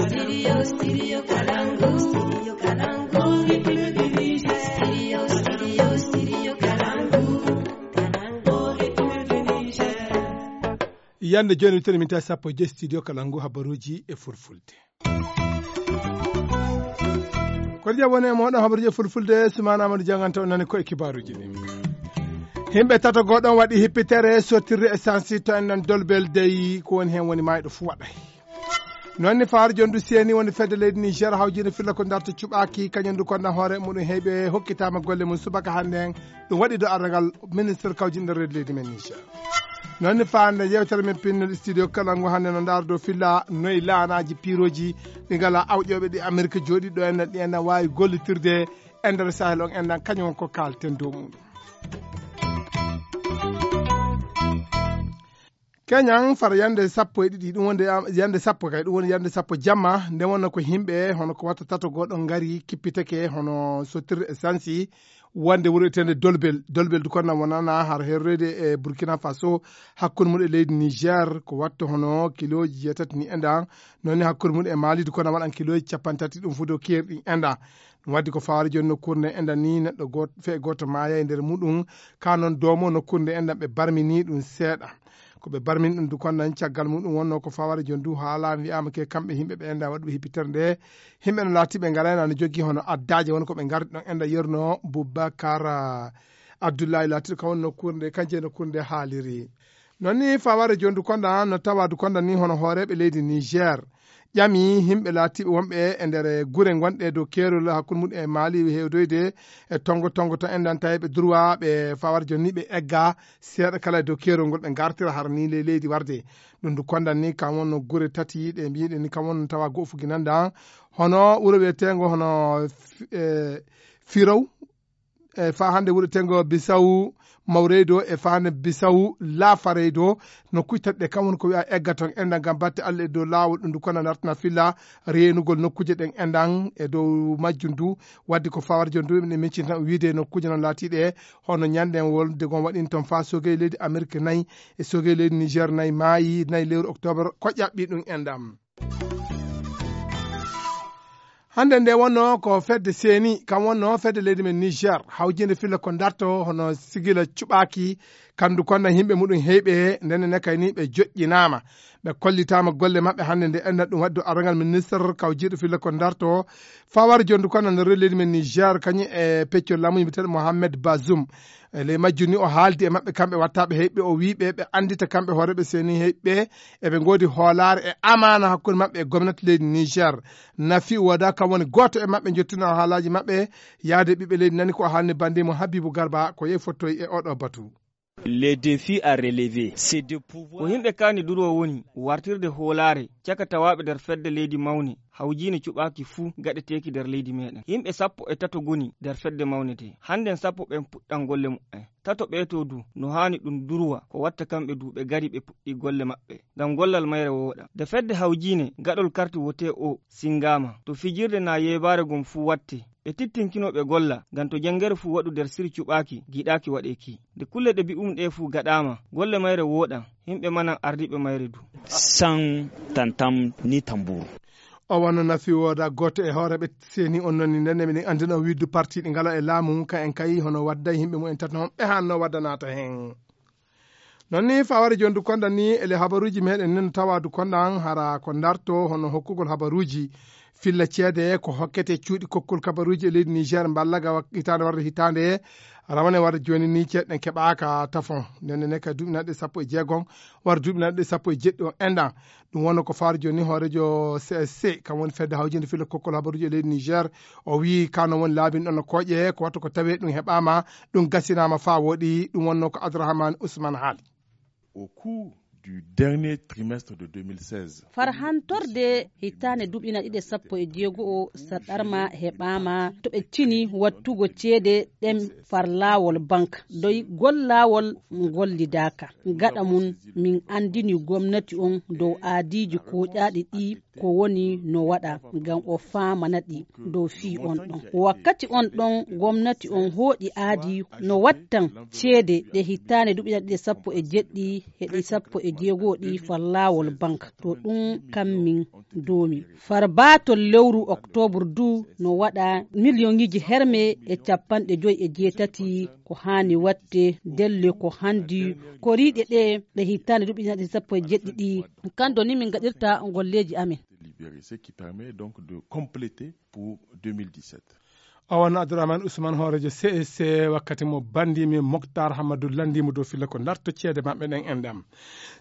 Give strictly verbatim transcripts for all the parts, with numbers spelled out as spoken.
Studio, studio Kalangu. Studio Kalangu, République du Niger. Studio, studio, studio Kalangu. Kalangu, République du Niger. Yande jooni, wittere min tawi sappo e joy studio Kalangu, habaruuji e fulfulde. Ko jam woni e mooɗon, habaruuji e fulfulde, Sumaana Amadou Janganta, on nani ko e kibaaruuji ɗi. Yimɓe tato gooɗon waɗi hippitere sottirde essence to en nan Dolbel dey, ko woni heen woni maayɗo fuu waɗay. Noon ni fawaare jondu seeni woni fedde leydi Niger hawjinde filla ko darta cuɓaaki kañum du konda hoore muɗum heyɓe hokkitaama golle mum subaka hannde en. Ɗum waɗi do arragal ministre kawjinɗo reedu leydi men Niger. Noon ni faande yewtere men pinnol studio kala ngo hannde no ndaar do filla noy laanaaji piirooji ɗi ngala awƴooɓe ɗi Amerique jooɗi ɗo en ɗi en waawi gollitirde e nder Sahel on en ɗan kañum ko kaalten dow muɗum. Keñan fara yande sappo e ɗiɗi, ɗum wonde, ah, yande sappo kay, ɗum woni yande sappo jamma, nde wonno ko yimɓe hono ko watta tato goɗɗo ngari kippitake hono sottirde essence wonde wuro etende Dolbel. Dolbel du konna wonana har herrede e Burkina Faso, hakkunde mum e leydi Niger, ko watta hono kiloji jeetati ni endan, noon ni hakkunde mum e Mali du konna waɗan kiloji capanɗe tati, ɗum fu dow keeri ɗin endan. Ɗum waddi ko fawaade jooni nokkuure nde enɗan ni neɗɗo goot-, fee gooto maaya e nder muɗum. Ka noon doomo nokkuure nde enɗan ɓe barmini ɗum seeɗa. Ko ɓe barmini ɗum du konnan caggal muɗum wonno ko fawaade jooni du haala wi'aama ke kamɓe yimɓe ɓe enɗan waɗuɓe hippitere nde. Yimɓe no laati ɓe ngarayna no jogii hono addaaje won ko ɓe ngardi ɗon enɗan yerno Boubacar, ah, Abdoulaye laatiɗo ka woni nokkuure nde, kanje nokkuure nde haaliri. Noon ni fawaare jooni du kondan no tawa du kondan ni hono hooreeɓe leydi Niger ƴami yimɓe laatiiɓe wonɓe e nder gure ngonɗe dow keerol hakkunde mum e Mali hewdoyde e tongo tongo to enɗan tawi ɓe durwa ɓe fawaare jooni ni ɓe egga seeɗa kala e dow keerol ngol ɓe ngartira hara ni ley leydi warde. Ɗum du kondan ni kam wonno gure tati ɗe mbiɗen ni kam wonno tawa go'o fuginanda hono wuro wiyetengo hono Fi-, eh, Firow, e faa hannde wuro tengo Bisawu Mawreydo e faa hannde Bisawu Laafareydo. Nokkuuji tati ɗe kam woni ko wiya egga toon enɗan ngam batte Allah e dow laawol ɗum du kono dartana filla reenugol nokkuuje ɗen enɗan e dow majjum du. Wadde ko fawarjo du ene miccin tan wiide nokkuuje noon laatiiɗe hono ñanden wolde gon waɗin toon faa sogey leydi Amerique nayi e sogey leydi Niger nayi maayi nayi lewru octobre ko ƴaɓɓi ɗum enɗan. Hannde nde wonno ko fedde seeni, kam wonno fedde leydi men Niger, hawjinde filla ko darto hono sigila cuɓaaki, kandu konna yimɓe muɗum heyɓe, ndenne ne kay ni ɓe joƴƴinaama. Ɓe kollitaama golle maɓɓe hannde nde enna ɗum waddu arangal ministre kawjiiɗo filla ko darto, fawar jondu konna nder leydi men Niger, kañum e peccol laamu yimɓeteeɗo Mohamed Bazoum. E ley majjum ni o haaldi e maɓɓe kamɓe wattaaɓe heyɓe, o wii ɓe ɓe anndita kamɓe hooreeɓe seeni heyɓe, eɓe ngoodi hoolaare e amaana hakkunde maɓɓe e gomnati leydi Niger. Nafi Wada kam woni gooto e maɓɓe, njottino haalaaji maɓɓe, yaade ɓiɓɓe leydi nani ko o haalni bannde mo Habibu Garba, ko yehi fottoyi e oɗo batu. Les défis à relever, c'est de pouvoir. Ko yimɓe kaani duroo woni wartirde hoolaare caka tawaaɓe nder fedde leydi mawne, hawjiine cuɓaaki fuu gaɗeteeki nder leydi meɗen. Yimɓe sappo e tato ngoni nder fedde mawne de. Hannden sappo ɓen puɗɗan golle muɓɓen. Tato ɓee to du, no haani ɗum durwa, ko watta kamɓe du ɓe gari ɓe puɗɗi golle maɓɓe. Ngam gollal mayre wooɗa. Nde fedde hawjiine gaɗol karti wote o singaama, to fijirde naa yeebaare gom fuu watte. Ɓe tittinkino ɓe golla, ngam to janngere fuu waɗu nder siri cuɓaaki, giɗaaki waɗeeki. Nde kulle ɗe mbi'um ɗe fuu gaɗaama, golle mayre wooɗan, yimɓe manan ardiiɓe mayre du. Sans tantam ni tambour. O wano nafi wooda gooto e hooreeɓe seeni on noni ndenne miɗen anndina o widdu parti ɗi ngala e laamu ka en kayi hono wadday yimɓe mumen tati noon ɓe hanno wadda naata heen. Noon ni faware jondu konda ni ele habaruuji meɗen nen tawa du konda an hara ko darto hono hokkugol habaruuji filla ceede ko hokkete cuuɗi kokkol kabaruuji e leydi Niger mballaga wak-, hitaande warde hitaande rawane warde jooni ni ceeɗen keɓaaka tafon. Ndenne ne ka duuɓi naɗɗe sappo e jeegom warde duuɓi naɗɗe sappo e jeɗɗi o enɗan. Ɗum wonno ko faari jooni hooreejo C S C, kam woni fedde hawjinde filla kokkol habaruuji e leydi Niger. O wii kano woni laabin ɗon no kooƴe, ko watta ko tawee ɗum heɓaama, ɗum gasinaama faa wooɗi. Ɗum wonno ko Abdourahmane Ousmane haali. Au cours du dernier trimestre de deux mille seize. Farhantorde hitaande duuɓi naɗɗe sappo e jeego o saɗarma heɓaama to ɓe cini wattugo ceede ɗen far laawol bank. Doy gol laawol ngollidaaka. Gaɗa mum min anndini gomnati on dow aadiiji kooƴaaɗi ɗi ko woni no waɗa ngam o faamana ɗi dow fii on ɗon. Wakkati on ɗon gomnati on hooƴi aadi no wattan ceede ɗe hitaande duuɓi ɗiɗi sappo e jeɗɗi e ɗi sappo e jeego ɗi far laawol bank. To ɗum kammin doomi. Far baatol lewru oktoobre du no waɗa miliyoŋiiji herme e capanɗe joy e jeetati ko haani waɗde delle ko hanndi koriiɗe ɗe ɗe hitaande duuɓi ɗiɗi sappo e jeɗɗi ɗi. Kanndo ni min ngaɗirta golleeji amen. Délibéré, ce qui permet donc de compléter pour deux mille dix-sept. Owan Abdourahmane Ousmane hoorejo C S C wakkati mo banndimi Moctar Hamadou lanndimo dow filla ko darto ceede maɓɓe ɗen enɗam.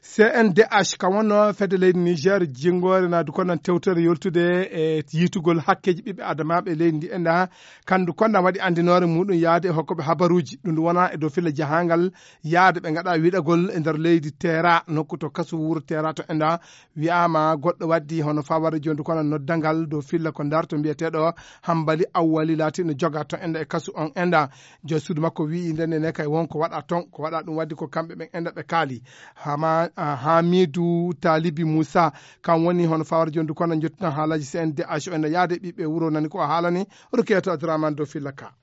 C N D H kam wonno fedde leydi Niger jinngoore na du konnan tewtere yoltude e yitugol hakkeeji ɓiɓɓe adamaaɓe leydi ndi enɗa kandu konnan waɗi anndinoore muɗum yaade e hokkoɓe habaruuji ɗum wona e dow filla jahangal yaade ɓe ngaɗa wiɗagol e nder leydi Teera nokku to kasu wuro Teera to enɗa. Wi'aama goɗɗo waddi hono faware jondu kono noddangal dow filla ko ndarto mbiyeteeɗo Hambali Awwali laatiiɗo joga to enda e kasu on enda. Joom suudu makko wi'i ndenne ne kay won ko waɗa ton ko waɗa ɗum waddi ko kamɓe ɓen enda ɓe kaali. Hama Hamidu Talibi Musa kan woni hono faware jondu kono jottinan haalaji C N D H o enda yaade ɓiɓɓe wuro nani ko o haalani. Rukeeto Abdourahmane dow filla ka.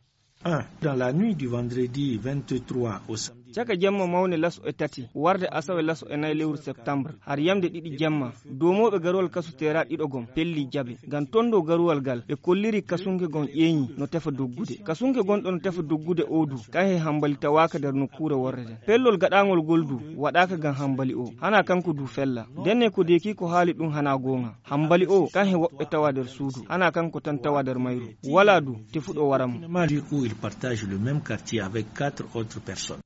Dans la nuit du vendredi vingt-trois au samedi. Caka jemma mawne laso e tati warde asawe laso e nayi lewru septembre har yamde ɗiɗi jemma doomooɓe garowal kasu teera ɗiɗo gom pelli jabe ngam tondo garowal gal ɓe kolliri kasunke gon ƴeeñi no tefa doggude kasunke gonɗo no tefa doggude odu kan he hambali tawaaka nder nokkuure worre nden pellol gaɗaangol gol du waɗaaka ngam hambali o hana kanko du fella ndenne ko deeki ko haali ɗum hana goonga hambali o kan he woɓɓe tawa nder suudu hana kanko tan tawa nder mayru wala du tefuɗo wara mo. Où il partage le même quartier avec quatre autres personnes.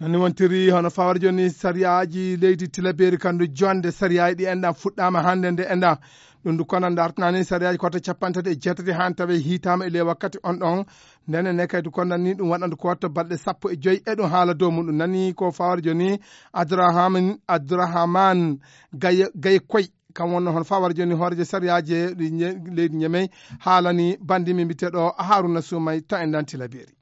Nani wontiri hono fawar joni sariyaaji leydi Tilaberi kandu jonde sariyaaji ɗi enɗan fuɗɗama hande nde enɗan. Ɗum du kono dartanani sariyaaji koto capanɗe tati e jeetati han tawe hitama e ley wakkati on ɗon. Ndene ne kay du kono ni ɗum waɗandu ko watto balɗe sappo e joyi e ɗum haala dow muɗum nani ko fawar joni Abdourahman Abdourahman Gaye Gaye Koy. Kam wonno hono fawar joni hoorejo sariyaaji leydi Ñemey haalani bandi mi mbiteɗo Haruna Sumay to enɗan Tilaberi.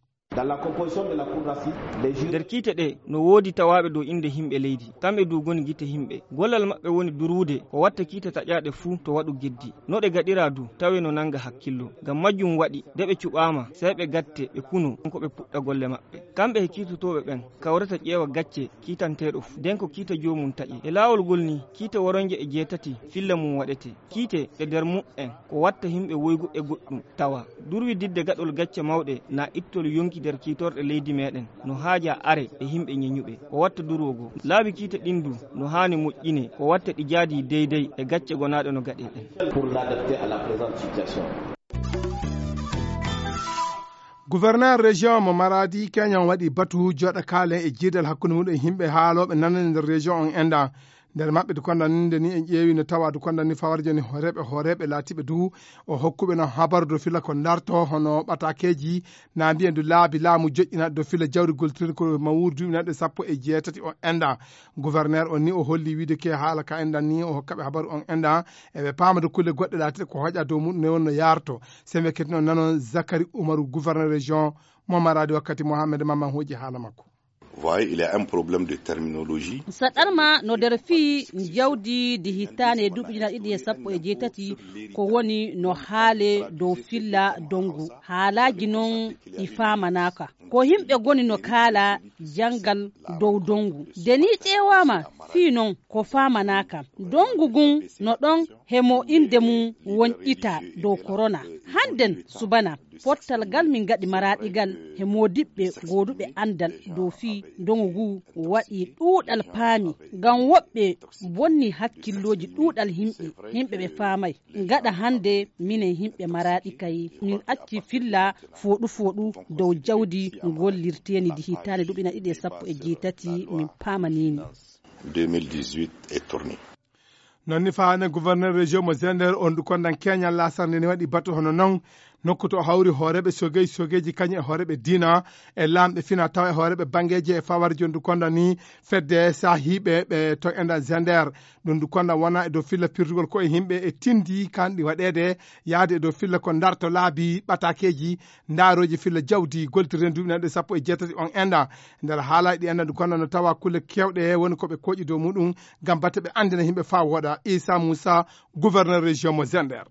Nder kiite ɗe no woodi tawaaɓe dow innde yimɓe leydi. Kamɓe du ngoni gite yimɓe. Gollal maɓɓe woni durwude ko watta kiite taƴaaɗe fuu to waɗu geddi. No ɗe gaɗiraa du tawee no nannga hakkillo. Ngam majjum waɗi de ɓe cuɓaama sey ɓe gatte ɓe kuno ko ɓe puɗɗa golle maɓɓe. Kamɓe he kiitotooɓe ɓen kawrata ƴeewa gacce kiitanteeɗo fuu. Nden ko kiita joomum taƴe. E laawol ngol nii kiite woronje e jeetati filla mum waɗetee. Kiite ɗe nder muɓɓen ko watta yimɓe woygu e goɗɗum tawa durwi didde gaɗol gacce mawɗe na ittol yonki nder kiitorɗe leydi meɗen no haaja are e yimɓe ñeñuɓe ko watta durwo goo laabi kiite ɗin du no haani moƴƴine ko watta ɗi jaadi deydey e gacce gonaaɗe no gaɗe ɗen. Gouverneur région mo maradi keñan waɗi batu joɗa kaalen e jiidal hakkunde muɗum e yimɓe haaloɓe nanani nder région on enɗa. Nder maɓɓe du kondanninde ni en ƴeewi no tawa du kondanni fawarjo ni horeɓe horeɓe laatiɓe du o hokkuɓe no habaru do fila ko darto hono ɓatakeji na mbiyen du laabi laamu joƴƴina do fila jawri goltirɗo ko mawuri duuɓi nanɗe sappo e jeetati o enɗa. Gouverneur on ni o holli wiide ke haala ka enɗan ni o hokkaɓe habaru on enɗa. Eɓe paama du kulle goɗɗe laatiɗe ko hoƴa dow muɗum ne wonno yarto. Sembe ketino nanon Zakari Umaru gouverneur région mo maradi wakkati Mohamed Mamman hooƴi haala makko. Voyez, il y a un problème de terminologie. Saɗarma no nder fii jawdi ndi hittaande duuɓi ujunaaji ɗiɗi e sappo e jeetati ko woni no haale dow filla dongu. Haalaaji non ɗi faamanaaka. Ko yimɓe ngoni no kaala janngal dow dongu. Nde ni ƴeewaama fii non ko faamanaaka. Dongu ngun no ɗon he mo innde mum won ita dow korona. Hannden subana. Pottal ngal min ngaɗi maraaɗi ngal he moodiɓɓe gooduɓe anndal dow fii ndongu nguu waɗii ɗuuɗal paami ngam woɓɓe bonnii hakkillooji ɗuuɗal yimɓe, yimɓe ɓe faamay. Gaɗa hannde minen yimɓe maraaɗi kay min acci filla fooɗu fooɗu dow jawdi gollirteeni ndi hitaande duuɓi ujunaaji ɗiɗi e sappo e jeetati min paamaniini. deux mille dix-huit est tourné. Non ni faane gouverneur région mo Zender on du kondan keñal lasarde ne waɗi batu hono non Nokku to hawri hooreeɓe sogey, sogeeji kañum e hooreeɓe diina, e laamɓe fina tawa e hooreeɓe banngeeji e fawar jondu konda ni fedde saahiiɓe ɓe to enda Zender. Ɗum ndu konda wona e dow filla pirtugol ko e yimɓe e tindi kanɗi waɗeede yaade e dow filla ko darto laabi ɓatakeeji, ndaarooji filla jawdi, golti renduɓe nanɗe sappo e jeetati on enda. Nder haala ɗi enda ndu konda no tawa kulle kewɗe woni ko ɓe koƴi dow muɗum ngam batte ɓe anndina yimɓe faa wooɗa. Isa Moussa, gouverneur région mo Zender.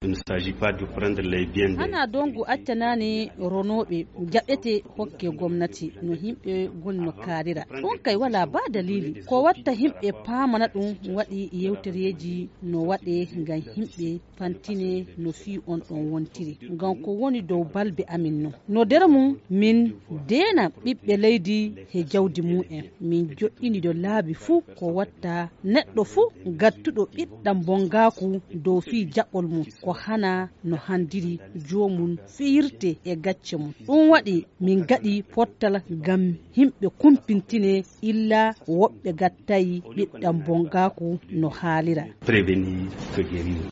Il ne s'agit pas de prendre les biens des Hana dongu accanaani ronooɓe jaɓete hokke gomnati no yimɓe goni no kaarira. Ɗum kay wala ba dalili. Ko watta yimɓe paamana ɗum waɗi yewtereeji no waɗe ngam yimɓe fantine no fii on ɗon wontiri. Ngam ko woni dow balbe amin non. No nder mum min deena ɓiɓɓe leydi he jawdi mum en. Min joɗɗini do laabi fuu ko watta neɗɗo fuu gattuɗo ɓiɗɗam bongaaku dow fii jaɓol mum ko hana no handiri joomum fiyirte e gacce mum. Ɗum waɗi min gaɗi pottal ngam yimɓe kumpintine illa woɓɓe gattayi ɓiɗɗam bongaaku no haalira. Prévenir que guérir.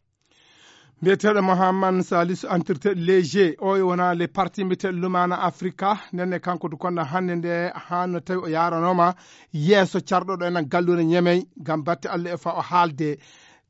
Mbiyeteeɗo Mohammad Salisu, entretien léger, o e wona les parti mbiyeteeɗo Lumana Africa, nden ne kanko du konda hannde nde haa no tawi o yaaranooma yeeso carɗo ɗo enen galluure Ñemey ngam batte Allah e fa o haalde.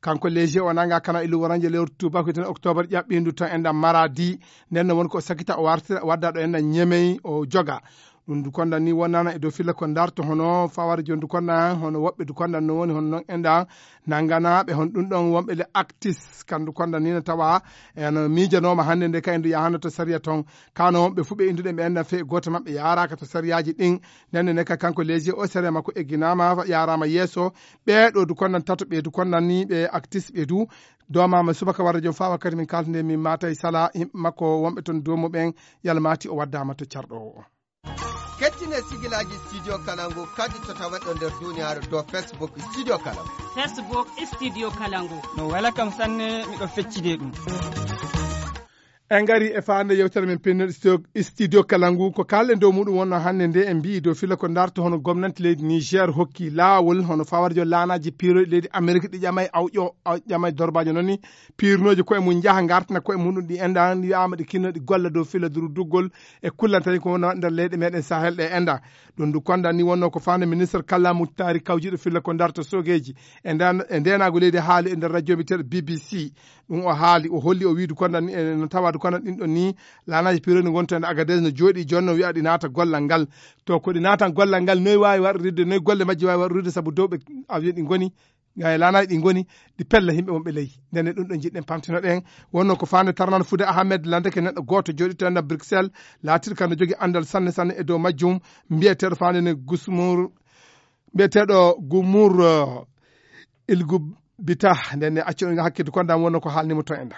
Kanko léger o nanga kana ilu waranje lewru tubaku den octobre ƴaɓɓindu to enda Maradi, nden ne woni ko sakita o wartira, wadda ɗo enda Ñemey o joga. Ɗum du konda ni wonana e dow filla ko darto hono fawar jon du konda hono woɓɓe du konda no woni hono non enda nanganaɓe hon ɗum ɗon wonɓe le actis kan du konda ni no tawa eno miijanoma hannde nde kay ndu yahano to sariya ton. Kano wonɓe fu ɓe indu ɗen ɓe enda fe goto maɓɓe yaraka to sariyaaji ɗin. Nden ne ka kanko léger o sere makko egginama yarama yeeso. Ɓe ɗo du kondan tato ɓe du kondan ni ɓe actis ɓe du domama subaka warde jom fa wakkati min kaltande min matay sala yimɓe makko wonɓe ton domu ɓen yalmati o waddama to carɗo o. Kettine sigilaji studio kalangu kadi to tawaɗo nder duniyaaru dow facebook studio kalangu. Facebook studio kalangu. No wela kam sanne, miɗo feccide ɗum. En ngari e faande yewtere men pinnoɗe studio, studio kala ngu ko kalɗen dow muɗum wonno hannde nde en mbiyi dow fila ko darto hono gomnanti leydi Niger hokki laawol hono fawarjo laanaji piiroɗi leydi Amerique ɗi ƴamay awƴo ƴamay dorbajo noon ni piirnooji koye mum njaha ngartina koye muɗum ɗi enda wiyama ɗi kinno ɗi golla dow fila duru duggol e kullantani ko wona nder leyɗe meɗen Sahel ɗe enda. Ɗum ndu konda ni wonno ko faande ministre kallamu taari kawjiɗo fila ko darto sogeji e nden e ndenago leydi haali e nder radio mbiteɗo B B C. Ɗum o haali o holli o wiidu konda ni e no tawadu konda ɗin ɗon ni laanaji pironi wonto e Agadez no jooɗi jonno wiya ɗi naata gollal ngal. To ko ɗi naatan gollal ngal noy waawi waɗorirde noy golle majji waawi waɗorirde sabu dow ɓe avion ɗi ngoni e laanaji ɗi ngoni ɗi pella yimɓe wonɓe ley. Ndenne ɗum ɗo jiɗɗen pamtinoɗen wonno ko faande tarnan fude Ahmed landeke neɗɗo gooto jooɗi to enda Bruxelles laatiɗo kam no jogi andal sanne sanne e dow majjum. Mbiyeteeɗo faande ne gusmur mbiyeteeɗo gumur ilgu bita ndenne accu ɗum hakkitde konda wonno ko haalnimo to enda.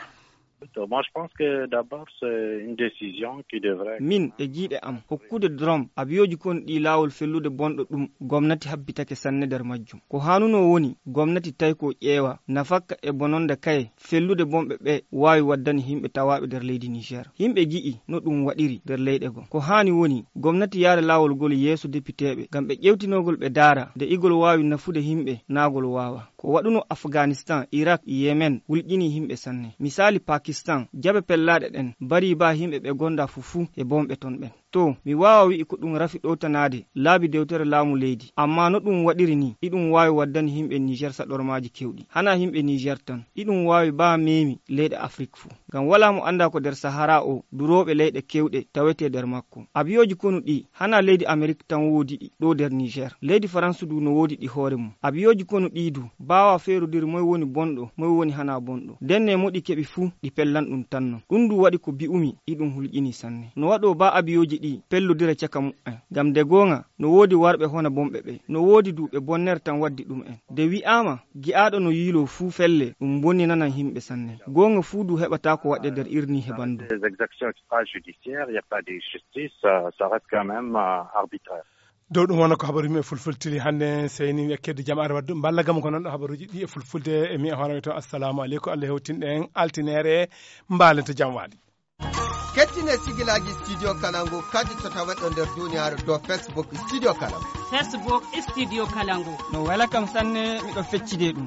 To moi je pense que d'abord c'est une décision qui devrait min e jiiɗe am hokkude drom abiyoji kon ɗi laawol fellude bonɗo ɗum gomnati habbitake sanne nder majjum. Ko hanuno woni gomnati tawi ko ƴeewa nafakka e bononde kaye fellude bonɓe ɓe waawi waddani yimɓe tawaaɓe nder leydi Niger. Yimɓe ngi'i no ɗum waɗiri nder leyɗe goo. Ko haani woni gomnati yaara laawol ngol yeeso depiteeɓe ngam ɓe ƴeewtinogol ɓe ndaara nde igol waawi nafude yimɓe naagol waawa. Ko waɗuno Afganistan, Irak, Yemen wulƴini yimɓe sanne. Misaali Pakistan, jabe pellaaɗe ɗen mbarii baa yimɓe ɓe gonda fuu fuu e bonɓe ton ɓen. To mi waawa wi'i ko ɗum rafi ɗowtanaade laabi dewtere laamu leydi, ammaa no ɗum waɗiri nii, iɗum waawi waddani yimɓe Niger saɗormaaji keewɗi. Hanaa yimɓe Niger tan, iɗum waawi baa meemi leyɗe Afrik fuu. Ngam walaa mo anndaa ko nder Sahara o durooɓe leyɗe keewɗe tawetee nder makko. Abiyooji konu ɗii, hanaa leydi Amerik tan woodi ɗi ɗoo nder Niger. Leydi Farans du no woodi ɗi hoore mum. Abiyooji konu ɗii du, baawaa feerodiri moy woni bonɗo, moy woni hanaa bonɗo. Ndenne mo ɗi keɓi fuu, ɗi pellan ɗum tan non. Ɗum du waɗi ko bi'umi, iɗum hulƴinii sanne. No waɗoo baa abiyooji ɗii pellodira caka mu'en. Ngam nde goonga, no woodi warɓe hona bonɓe ɓe. No woodi du ɓe bonner tan waddi ɗum'en. Nde wi'aama, gi'aaɗo no yiiloo fuu felle, ɗum bonninanan yimɓe sanne. Goonga fuu du heɓataa ko waɗɗe nder irnii he banndum. Des exactions extrajudiciaires, il n'y a pas de justice, ça, ça reste quand même euh, arbitraire. Dow ɗum wona ko habaru yimɓe fulfultiri hannde seyni wiya kedde jam are waddu mballa gam ko noon ɗo habaruji ɗi e fulfulde e mi e hoorami to assalamu aleykum Allah hewtinɗe en altinere mbalen to jam waali. Kettine sigilaji studio kalangu kadi to tawaɗo nder duniyaaru dow facebook studio kalangu. Facebook studio kalangu. No wela kam sanne miɗo feccide ɗum.